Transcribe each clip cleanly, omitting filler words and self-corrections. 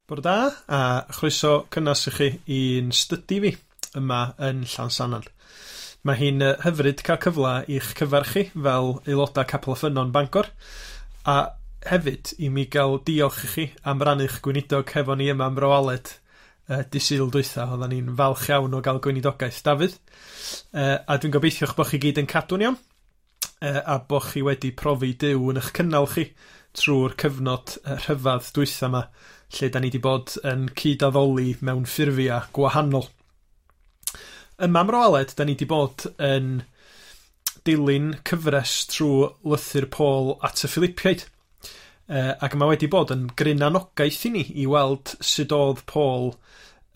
Bore da, a chroeso cynnas i chi i'n stydi fi yma yn Llansannan. Mae hi'n hyfryd cael cyfle i'ch cyfarch chi fel aelodau Capel y Ffynnon Bangor, a hefyd i mi gael diolch i chi am rannu'ch gweinidog hefo ni yma ym Mro Aled dy Sul dwytha. Oedden ni'n falch iawn o gael gweinidogaeth Dafydd. A dwi'n gobeithio'ch bod chi gyd yn cadw'n iawn, a bod chi wedi profi Duw yn eich cynnal chi trwy'r cyfnod rhyfedd dwytha yma, lle da ni wedi bod yn cyd-addoli mewn ffurfiau gwahanol. Yma ym Mro Aled, da ni wedi bod yn dilyn cyfres trwy lythyr Paul at y Philippiaid. Ac mae wedi bod yn gryn anogaeth i ni i weld sut oedd Paul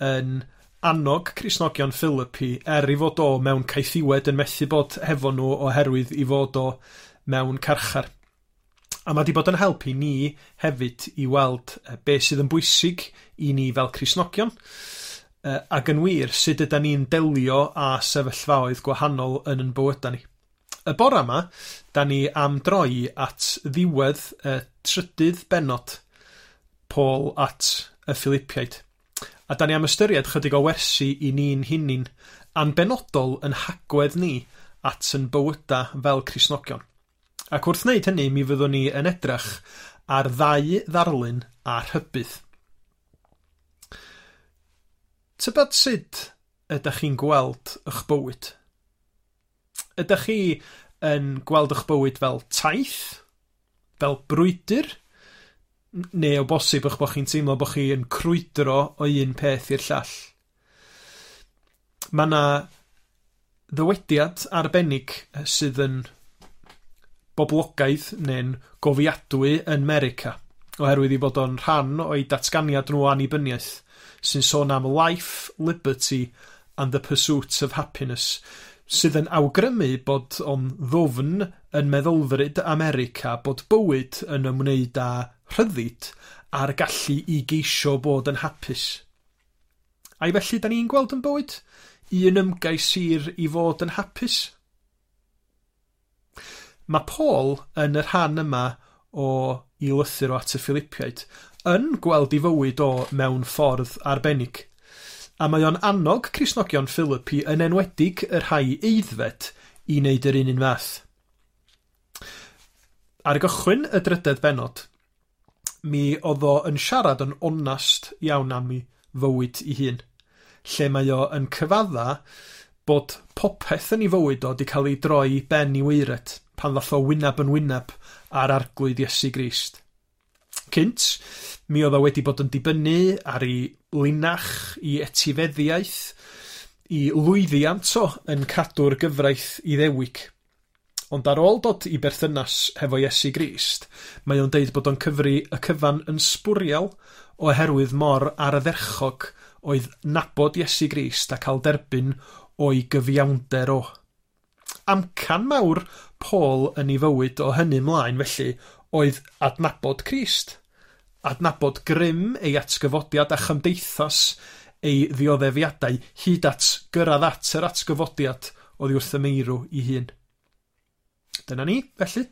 yn annog Cristnogion Philippi er i fod o mewn caethiwed yn methu bod hefo nhw oherwydd i fod o mewn carchar. A mae wedi bod yn help i ni hefyd i weld be sydd yn bwysig i ni fel Cristnogion, ac yn wir sut ydan ni'n delio â sefyllfaoedd gwahanol yn yn bywydau ni. Y bora yma, da ni am droi at ddiwedd y trydydd bennod Paul at y Philippiaid. A da ni am ystyried chydig o wersi i ni'n hunin, a'n benodol yn hagwedd ni at yn bywydau fel Cristnogion. Ac wrth wneud hynny, mi fyddwn ni yn edrych ar ddau ddarlun a rhybudd. Tybed sut ydych chi'n gweld eich bywyd? Ydych chi yn gweld eich bywyd fel taith? Fel brwydr? Neu o bosib eich bod chi'n teimlo bod chi yn crwydro o un peth i'r llall? Mae yna ddywediad arbennig sydd yn boblogaidd neu'n gofiadwy yn America, oherwydd i fod o'n rhan o'i datganiad nhw o annibyniaeth, sy'n sôn am life, liberty and the pursuit of happiness, sydd yn awgrymu bod o'n ddwfn yn meddylfryd America bod bywyd yn ymwneud â rhyddid a'r gallu i geisio bod yn hapus. Ai felly da ni'n gweld yn bywyd? Un ymgais hir i fod yn hapus? Mae Paul yn y rhan yma o i lythyr o at y Philippiaid yn gweld ei fywyd o mewn ffordd arbennig. A mae o'n annog Cristnogion Philippi yn enwedig y rhai aeddfed i wneud yr un fath. Ar gychwyn y drydedd bennod, mi oedd o yn siarad yn onast iawn am ei fywyd ei hun, lle mae o yn cyfadda bod popeth yn ei fywyd o wedi cael ei droi ben i waered pan ddath o wyneb yn wyneb ar Arglwydd Iesu Grist. Cynt, mi oedd o wedi bod yn dibynnu ar ei linach, i etifeddiaeth, i lwyddiant o yn cadw'r gyfraith Iddewig. Ond ar ôl dod i berthynas hefo Iesu Grist, mae o'n deud bod o'n cyfri y cyfan yn sbwriel oherwydd mor ardderchog oedd nabod Iesu Grist a cael derbyn o'i gyfiawnder o. Amcan mawr Paul yn ei fywyd o hynny ymlaen felly oedd adnabod Crist, adnabod grym ei atgyfodiad a chymdeithas ei ddioddefiadau hyd at gyrraedd at yr atgyfodiad oddi wrth y meirw ei hun. Dyna ni, felly.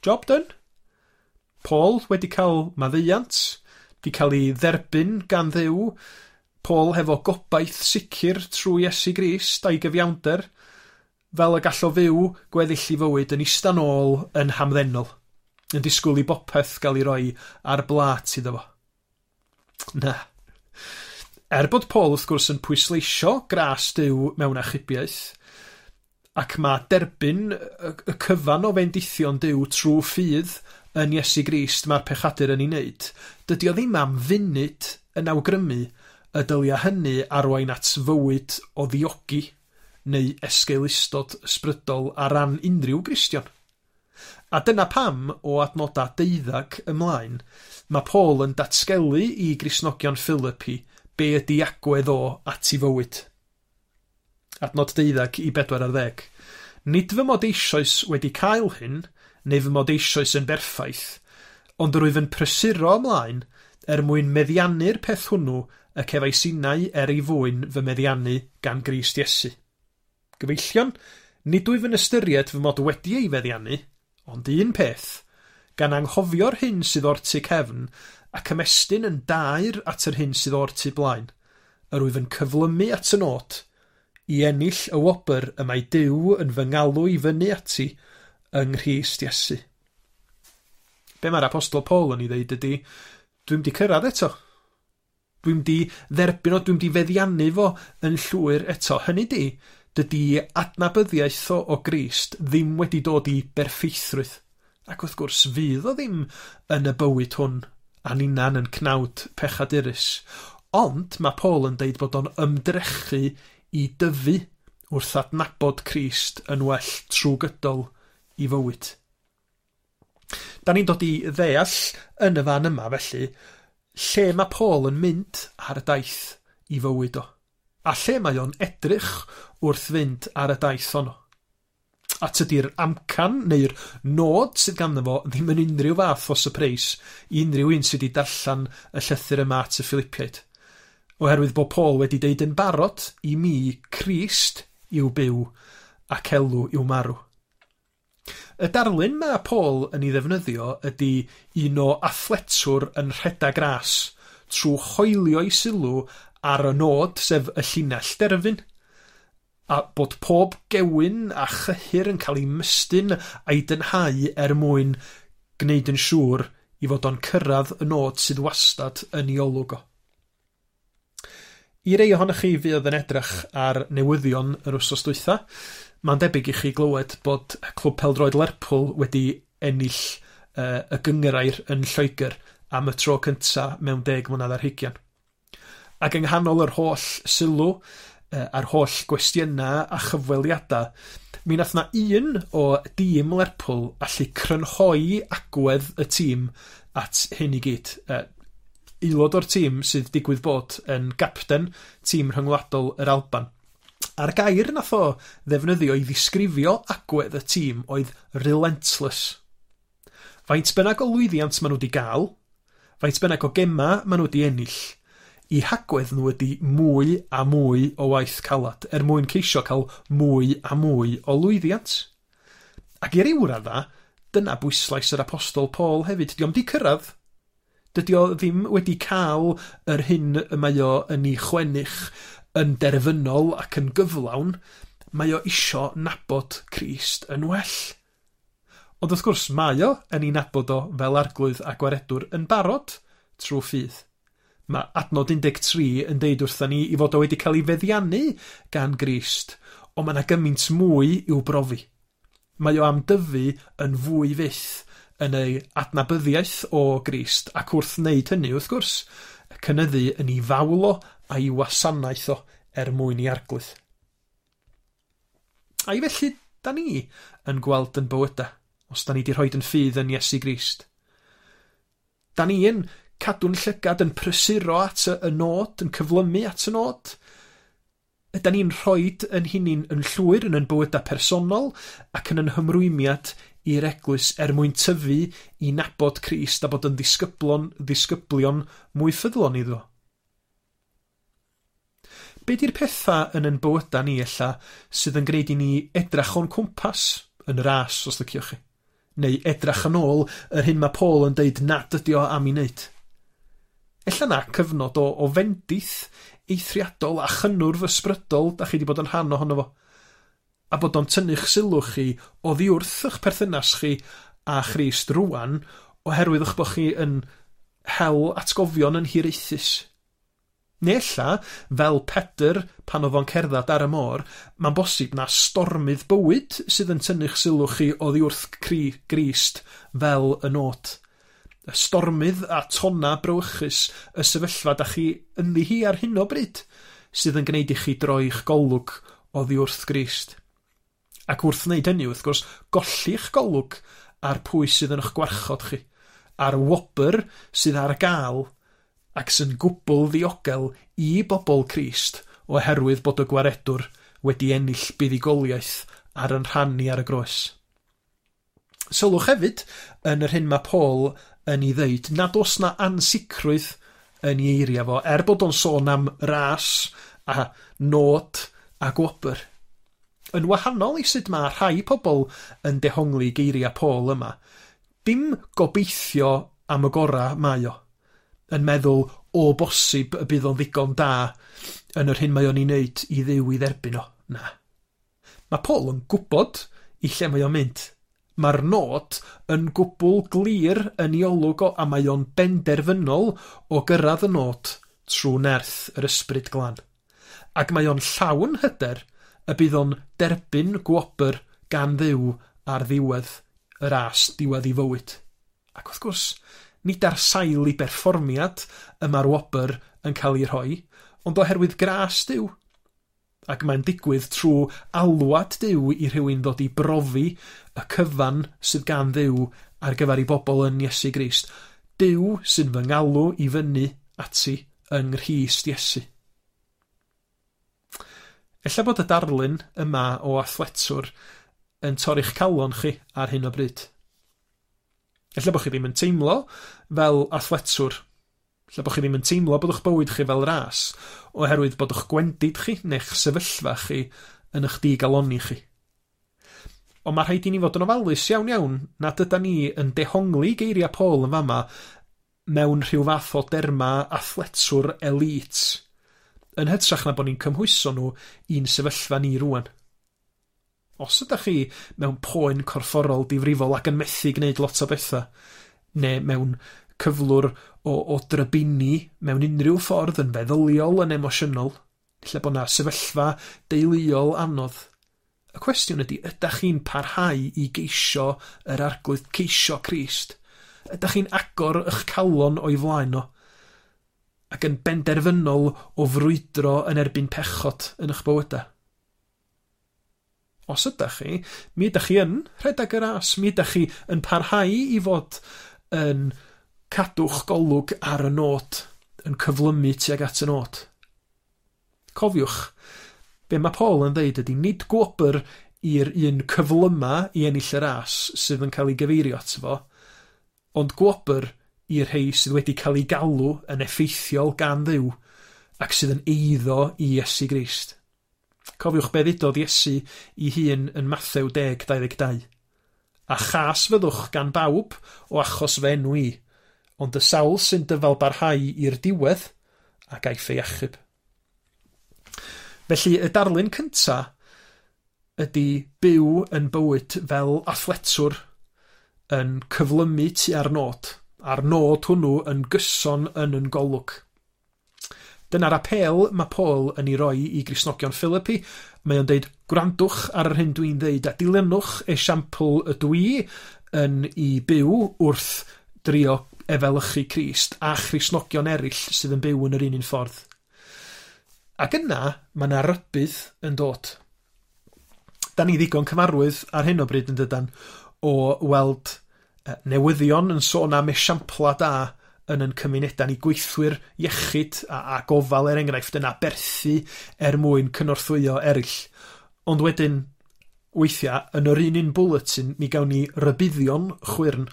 Job done. Paul wedi cael maddeuant, wedi cael ei dderbyn gan Dduw. Paul hefo gobaith sicr trwy Iesu Grist a'i gyfiawnder, fel y gall o fyw gweddill ei fywyd yn ista nôl yn hamddenol, yn disgwyl i bopeth gael ei roi ar blât iddo fo. Na. Er bod Paul wrth gwrs yn pwysleisio gras Duw mewn achubiaeth, ac mae derbyn y cyfan o fendithion Duw trwy ffydd yn Iesu Grist mae'r pechadur yn ei wneud, dydy o ddim am funud yn awgrymu y dylia hynny arwain at fywyd o ddiogi neu esgeulustod ysbrydol ar ran unrhyw Gristion. A dyna pam, o adnodau 12 ymlaen, mae Paul yn datgelu i Gristnogion Philippi be ydi agwedd o at ei fywyd. Adnod 12 i 14. Nid fy mod eisoes wedi cael hyn, neu fy mod eisoes yn berffaith, ond yr wyf yn prysuro ymlaen er mwyn meddiannu'r peth hwnnw y cefais innau er ei fwyn fy meddiannu gan Grist Iesu. Gyfeillion, nid wyf yn ystyried fy mod wedi ei feddiannu, ond un peth, Gan anghofio'r hyn sydd o'r tu cefn ac ymestyn yn daer at yr hyn sydd o'r tu blaen, yr wyf yn cyflymu at y nod, i ennill y wobr y mae Duw yn fy ngalw i fyny ati yng Nghrist Iesu. Be mae'r Apostol Paul yn ei ddeud ydy, dwi'm di cyrraedd eto. Dwi'm di dderbyn o, dwi'm di feddiannu fo yn llwyr eto. Hynny di, dydy adnabyddiaeth o Grist ddim wedi dod i berffeithrwydd. Ac wrth gwrs, fydd o ddim yn y bywyd hwn a ninna'n yn cnawd pechadurus. Ond mae Paul yn deud bod o'n ymdrechu i dyfu wrth adnabod Crist yn well trwy gydol i fywyd. Da ni'n dod i ddeall yn y fan yma felly lle mae Paul yn mynd ar y daith i fywyd o, a lle mae o'n edrych wrth fynd ar y daith honno. A tydi'r amcan neu'r nod sydd ganddo fo ddim yn unrhyw fath o sypreis i unrhyw un sydd wedi darllen y llythyr yma at y Philippiaid. Oherwydd bod Paul wedi deud yn barod i mi Crist yw byw ac elw yw marw. Y darlun mae Paul yn ei ddefnyddio ydy un o athletwr yn rhedeg ras trwy hoelio'i sylw ar y nod, sef y llinell derfyn, a bod pob gewyn a chyhyr yn cael ei mystyn a'i dynhau er mwyn gwneud yn siŵr i fod o'n cyrraedd y nod sydd wastad yn ei olwg o. I rei ohonoch chi fuodd yn edrych ar newyddion yr wsos dwytha, mae'n debyg i chi glywed bod Clwb Pêl-droed Lerpwl wedi ennill y gynghrair yn Lloegr am y tro cynta mewn 10 mlynedd ar hugian. Ac yng nghanol yr holl sylw a'r holl gwestiynau a chyfweliadau, mi nath na un o dîm Lerpwl allu crynhoi agwedd y tîm at hyn i gyd. Aelod o'r tîm sydd digwydd bod yn gapten tîm rhyngwladol yr Alban. A'r gair nath o ddefnyddio i ddisgrifio agwedd y tîm oedd relentless. Faint bynnag o lwyddiant maen nhw wedi gael, faint bynnag o gema maen nhw wedi ennill, i hagwedd nhw ydy mwy a mwy o waith calad er mwyn ceisio cael mwy a mwy o lwyddiant. Ac i ryw radda, dyna bwyslais yr Apostol Paul hefyd. Dio'm di cyrraedd. Dydy o ddim wedi cael yr hyn y mae o yn ei chwennych yn derfynol ac yn gyflawn. Mae o isio nabod Crist yn well. Ond wrth gwrs, mae o yn ei nabod o fel arglwydd a gwaredwr yn barod trwy ffydd. Mae adnod 13 yn deud wrthyn ni i fod o wedi cael ei feddiannu gan Grist, ond mae yna gymaint mwy i'w brofi. Mae o am dyfu yn fwy fyth yn ei adnabyddiaeth o Grist, ac wrth wneud hynny, wrth gwrs, cynyddu yn ei fawl o a'i wasanaeth o er mwyn i arglwydd. A'i felly, da ni yn gweld yn bywydau, os da ni wedi rhoi yn ffydd yn Iesu Grist. Da ni yn cadw'n llygad yn prysuro at y nod, yn cyflymu at y nod. Ydan ni'n rhoi yn hunain yn llwyr yn ein bywydau personol ac yn ein hymrwymiad i'r eglwys er mwyn tyfu i nabod Crist a bod yn ddisgyblion mwy ffyddlon iddo. Be di'r pethau yn ein bywydau ni ella sydd yn gwneud i ni edrach o'n cwmpas yn y ras, os liciwch chi? Neu edrach yn ôl yr hyn mae Paul yn deud nad ydi o am ei wneud. Ella na cyfnod o fendith eithriadol a chynnwrf ysbrydol da chi wedi bod yn rhan ohono fo. A bod o'n tynnu'ch sylw chi oddi wrth eich perthynas chi a Christ rwan oherwydd eich bod chi yn hel atgofion yn hiraethus. Neu ella, fel Pedr pan oedd o'n cerdded ar y môr, mae'n bosib na stormydd bywyd sydd yn tynnu'ch sylw chi oddi wrth Grist fel y nod. Y stormydd a tonna brawychus y sefyllfa da chi ynddi hi ar hyn o bryd sydd yn gwneud i chi droi'ch golwg oddi wrth Grist. Ac wrth wneud hynny, wrth gwrs, golli'ch golwg ar pwy sydd yn eich gwarchod chi, a'r wobr sydd ar gael ac sy'n gwbl ddiogel i bobl Crist oherwydd bod y gwaredwr wedi ennill buddugoliaeth ar yn rhan ni ar y groes. Sylwch hefyd yn yr hyn mae Paul yn ei ddeud nad oes na ansicrwydd yn ei eiriau fo, er bod o'n sôn am ras a nod a gwobr. Yn wahanol i sut mae rhai pobl yn dehongli geiriau Paul yma, Dim gobeithio am y gora mae o, yn meddwl o bosib y bydd o'n ddigon da yn yr hyn mae o'n ei wneud i Dduw i dderbyn o. Na. Mae Paul yn gwybod i lle mae o'n mynd. Mae'r nod yn gwbl glir yn ei olwg o, a mae o'n benderfynol o gyrraedd y nod trwy nerth yr Ysbryd Glân. Ac mae o'n llawn hyder y bydd o'n derbyn gwobr gan Dduw ar ddiwedd y ras, diwedd ei fywyd. Ac wrth gwrs, nid ar sail ei berfformiad y mae'r wobr yn cael ei rhoi, ond oherwydd gras Duw. Ac mae'n digwydd trwy alwad Duw i rhywun ddod i brofi y cyfan sydd gan Dduw ar gyfer ei bobl yn Iesu Grist. Duw sy'n fy ngalw i fyny ati yng Nghrist Iesu. Ella bod y darlun yma o athletwr yn torri'ch calon chi ar hyn o bryd. Ella bod chi ddim yn teimlo fel athletwr. Ella bod chi ddim yn teimlo bod eich bywyd chi fel ras, oherwydd bod eich gwendid chi neu'ch sefyllfa chi yn eich digalonni chi. Ond mae rhaid i ni fod yn ofalus iawn iawn nad yda ni yn dehongli geiriau Paul yn fama mewn rhyw fath o derma athletwr elite, yn hytrach na bod ni'n cymhwyso nhw i'n sefyllfa ni rwan. Os ydych chi mewn poen corfforol difrifol ac yn methu gwneud lot o bethau, neu mewn cyflwr o drybini mewn unrhyw ffordd, yn feddyliol, yn emosiynol, lle bod 'na sefyllfa deuluol anodd, y cwestiwn ydy, ydych chi'n parhau i geisio yr Arglwydd, ceisio Crist? Ydych chi'n agor eich calon o'i flaen o, ac yn benderfynol o frwydro yn erbyn pechod yn eich bywydau? Os ydych chi, mi ydych chi yn rhedeg y ras, mi ydych chi yn parhau i fod yn cadw'ch golwg ar y nod, yn cyflymu tuag at y nod. Cofiwch, be mae Paul yn dweud ydy nid gwobr i'r un cyflyma i ennill y ras sydd yn cael ei gyfeirio ato fo, ond gwobr i'r rhai sydd wedi cael ei galw yn effeithiol gan Dduw ac sydd yn eiddo i Iesu Grist. Cofiwch be ddudodd Iesu i hun yn Mathew 10:22. A chas fyddwch gan bawb o achos fy enw i, ond y sawl sy'n dyfal barhau i'r diwedd a gaiff ei achub. Felly y darlun cynta ydy byw yn bywyd fel athletwr yn cyflymu tua'r nod, a'r nod hwnnw yn gyson yn yn golwg. Dyna'r apêl mae Paul yn ei roi i Gristnogion Philippi. Mae o'n deud, gwrandwch ar yr hyn dwi'n ddeud a dilynwch esiampl ydw i yn ei byw wrth drio efelychu Crist a Christnogion eraill sydd yn byw yn yr un un ffordd. Ac yna, mae yna rybudd yn dod. Da ni ddigon cyfarwydd ar hyn o bryd yn dydan o weld newyddion yn sôn am esiampla da yn yn cymunedau ni, gweithwyr iechyd a gofal er enghraifft yn aberthu er mwyn cynorthwyo eraill. Ond wedyn, weithiau, yn yr un un bulletin, mi gawn ni rybuddion chwyrn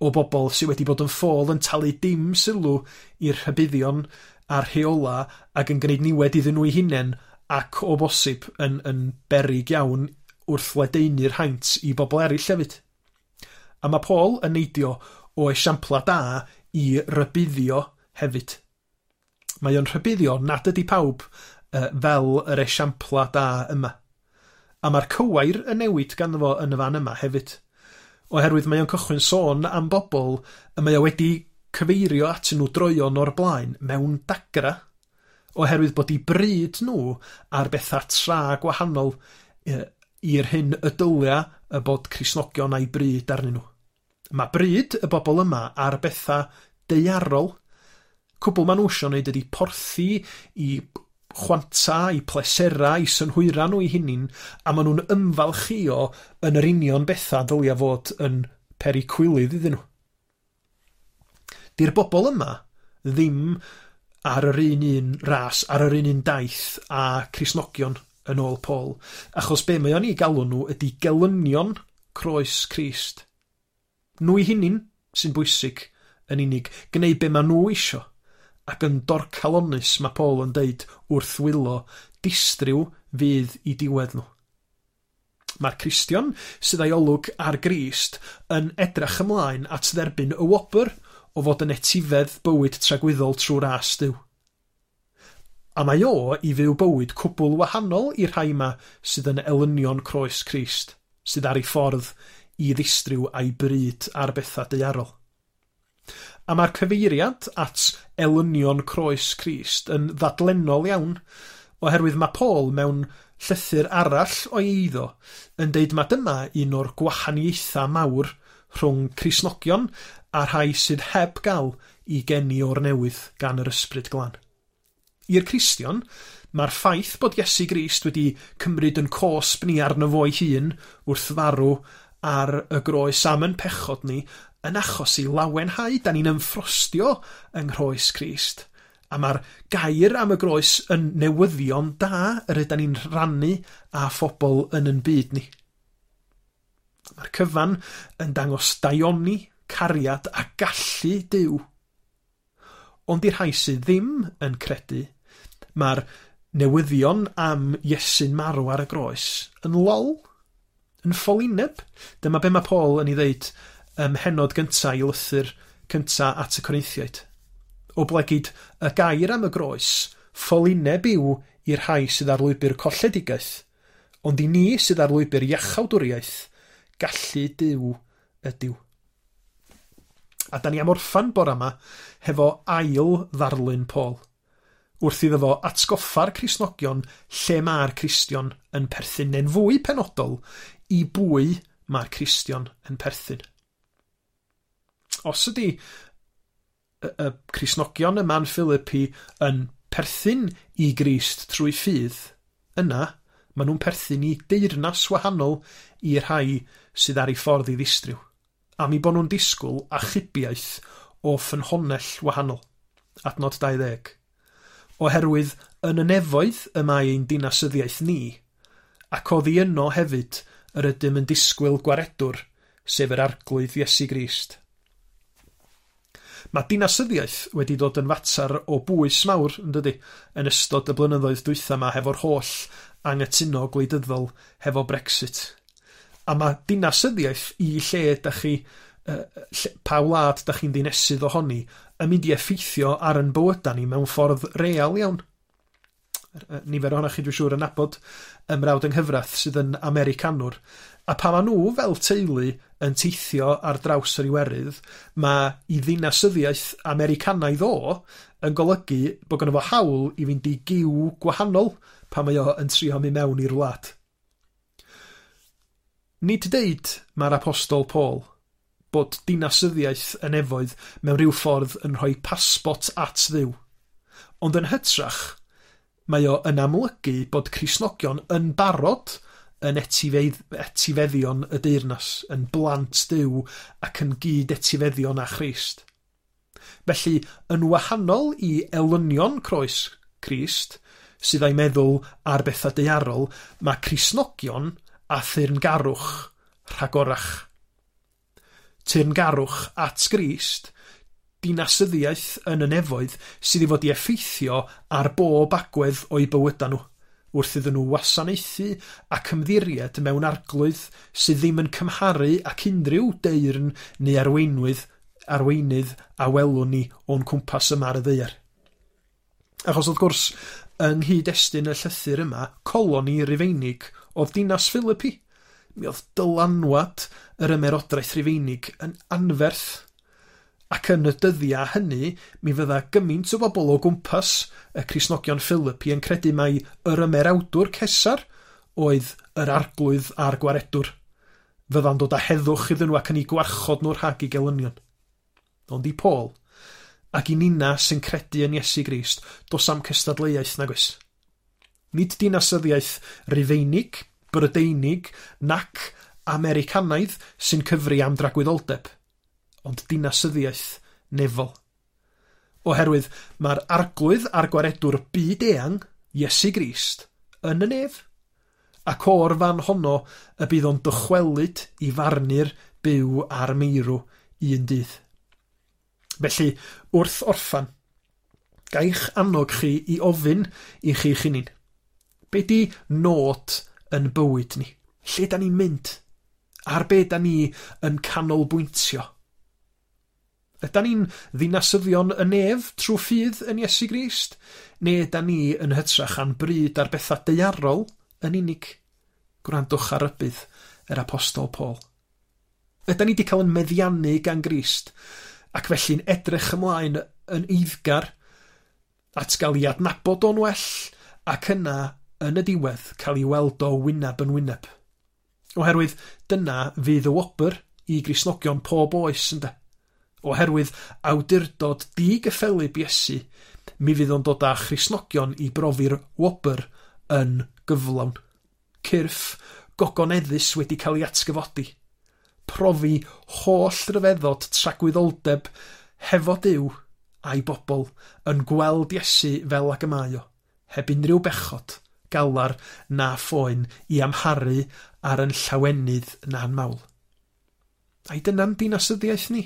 o bobl sydd wedi bod yn ffôl yn talu dim sylw i'r rhybuddion a'r rheola ac yn gwneud niwed iddyn nhw eu hunain ac o bosib yn beryg iawn wrth ledaenu'r haint i bobl eraill hefyd. A mae Paul yn neidio o esiampla da i rybuddio hefyd. Mae o'n rhybuddio nad ydy pawb fel yr esiampla da yma. A mae'r cywair yn newid ganddo fo yn y fan yma hefyd. Oherwydd mae o'n cychwyn sôn am bobl y mae o wedi cyfeirio atyn nhw droeon o'r blaen mewn dagra, oherwydd bod eu bryd nhw ar bethau tra gwahanol i'r hyn y dylia y bod Cristnogion a'i bryd arnyn nhw. Mae bryd y bobl yma ar bethau daearol. Cwbl maen nhw isio wneud ydy porthi i chwanta, i plesera, i synhwyra nhw eu hunain, a maen nhw'n ymfalchïo yn yr union bethau ddylia fod yn peri cywilydd iddyn nhw. Di'r bobl yma ddim ar yr un un ras, ar yr un un daith a Cristnogion yn ôl Paul, achos be mae o'n ei galw nhw ydy gelynion croes Crist. Nhw eu hunain sy'n bwysig yn unig, gwneud be maen nhw isio, ac yn dorcalonus mae Paul yn deud wrth wylo, distryw fydd i diwedd nhw. Mae'r Cristion sydd â'i olwg ar Grist yn edrach ymlaen at dderbyn y wobr o fod yn etifedd bywyd tragwyddol trwy ras Duw. A mae o i fyw bywyd cwbl wahanol i'r rhai yma sydd yn elynion croes Crist, sydd ar ei ffordd i ddistryw a'i bryd ar bethau daearol. A mae'r cyfeiriad at elynion croes Crist yn ddadlennol iawn, oherwydd mae Paul mewn llythyr arall o'i eiddo yn deud mai dyma un o'r gwahaniaethau mawr rhwng Cristnogion a rhai sydd heb gael i geni o'r newydd gan yr Ysbryd Glân. I'r Cristion, mae'r ffaith bod Iesu Grist wedi cymryd yn cosb ni arno fo'i hun wrth farw ar y groes am yn pechod ni yn achos i lawenhau. Da ni'n ymffrostio yng nghroes Crist. A mae'r gair am y groes yn newyddion da yr ydan ni'n rhannu â phobl yn yn byd ni. Mae'r cyfan yn dangos daioni, cariad a gallu Duw. Ond i'r rhai sydd ddim yn credu, mae'r newyddion am Iesu'n marw ar y groes yn lol, yn ffolineb. Dyma be mae Paul yn ei ddeud ym mhennod gyntaf i lythyr cyntaf at y Corinthiaid. Oblegid y gair am y groes, ffolineb yw i'r rhai sydd ar lwybr colledigaeth, ond i ni sydd ar lwybr iachawdwriaeth, gallu Duw ydyw. A da ni am orffan bora yma hefo ail ddarlun Paul, wrth iddo fo atgoffa'r Cristnogion lle mae'r Cristion yn perthyn, neu'n fwy penodol, i bwy mae'r Cristion yn perthyn. Os ydy y Cristnogion yma'n Philippi yn perthyn i Grist trwy ffydd, yna maen nhw'n perthyn i deyrnas wahanol i'r rhai sydd ar ei ffordd i ddistryw, am eu bod nhw'n disgwyl achubiaeth o ffynhonnell wahanol. Adnod 20. Oherwydd yn y nefoedd y mae ein dinasyddiaeth ni, ac oddi yno hefyd yr ydym yn disgwyl gwaredwr, sef yr Arglwydd Iesu Grist. Mae dinasyddiaeth wedi dod yn fater o bwys mawr, yn dydy, yn ystod y blynyddoedd dwytha yma hefo'r holl anghytuno gwleidyddol hefo Brexit. A mae dinasyddiaeth i lle da chi, pa wlad da chi'n ddinesydd ohoni, yn mynd i effeithio ar yn bywydau ni mewn ffordd real iawn. Nifer ohonoch chi dwi'n siŵr yn nabod ymrawd yng nghyfraith sydd yn Americanwr. A pa maen nhw fel teulu yn teithio ar draws yr Iwerydd, mae i ddinasyddiaeth Americanaidd o yn golygu bod gynno fo hawl i fynd i giw gwahanol pan mae o yn trio mynd mewn i'r wlad. Nid deud mae'r Apostol Paul bod dinasyddiaeth y nefoedd mewn rhyw ffordd yn rhoi pasbort at Dduw, ond yn hytrach mae o yn amlygu bod Cristnogion yn barod yn etifeddion y deyrnas, yn blant Duw ac yn gyd-etifeddion â Christ. Felly, yn wahanol i elynion croes Crist, sydd â'i meddwl ar bethau daearol, mae Cristnogion a thyrngarwch rhagorach. Teyrngarwch at Grist, dinasyddiaeth yn y nefoedd sydd i fod i effeithio ar bob agwedd o'u bywydau nhw, wrth iddyn nhw wasanaethu ac ymddiried mewn arglwydd sydd ddim yn cymharu ac unrhyw deyrn neu arweinydd a welwn ni o'n cwmpas yma ar y ddaear. Achos wrth gwrs, yng nghyd-destun y llythyr yma, coloni Rufeinig oedd dinas Philippi. Mi oedd dylanwad yr ymerodraeth Rufeinig yn anferth. Ac yn y dyddiau hynny, mi fydda gymaint o bobl o gwmpas y Cristnogion Philippi yn credu mai yr ymerawdwr Cesar oedd yr arglwydd a'r gwaredwr. Fydda'n dod â heddwch iddyn nhw ac yn eu gwarchod nhw rhag eu gelynion. Ond i Paul, ac i nina sy'n credu yn Iesu Grist, does am cystadleuaeth nag oes. Nid dinasyddiaeth Rufeinig, Brydeinig, nac Americanaidd sy'n cyfri am dragwyddoldeb, ond dinasyddiaeth nefol. Oherwydd mae'r arglwydd a'r gwaredwr byd eang, Iesu Grist, yn y nef, ac o'r fan honno y bydd o'n dychwelyd i farnu'r byw a'r meirw un dydd. Felly, wrth orffan, gaich annog chi i ofyn i chi'ch hunin. Be di nod yn bywyd ni? Lle da ni'n mynd? Ar be da ni yn canolbwyntio? Ydan ni'n ddinasyddion y nef trwy ffydd yn Iesu Grist? Neu ydan ni yn hytrach a'n bryd ar bethau daearol yn unig? Gwrandwch ar rybudd yr Apostol Paul. Ydan ni wedi cael yn meddiannu gan Grist ac felly'n edrych ymlaen yn eiddgar at gael ei adnabod o'n well ac yna yn y diwedd cael ei weld o wyneb yn wyneb? Oherwydd dyna fydd y wobr i Gristnogion pob oes, ynde? Oherwydd awdurdod digyffelyb Iesu, mi fydd o'n dod â Christnogion i brofi'r wobr yn gyflawn. Cyrff gogoneddus wedi cael ei atgyfodi. Profi holl ryfeddod tragwyddoldeb hefo Duw a'i bobl yn gweld Iesu fel ag y mae o, heb unrhyw bechod, galar na phoen i amharu ar yn llawenydd na'n mawl. Ai dyna'n dinasyddiaeth ni?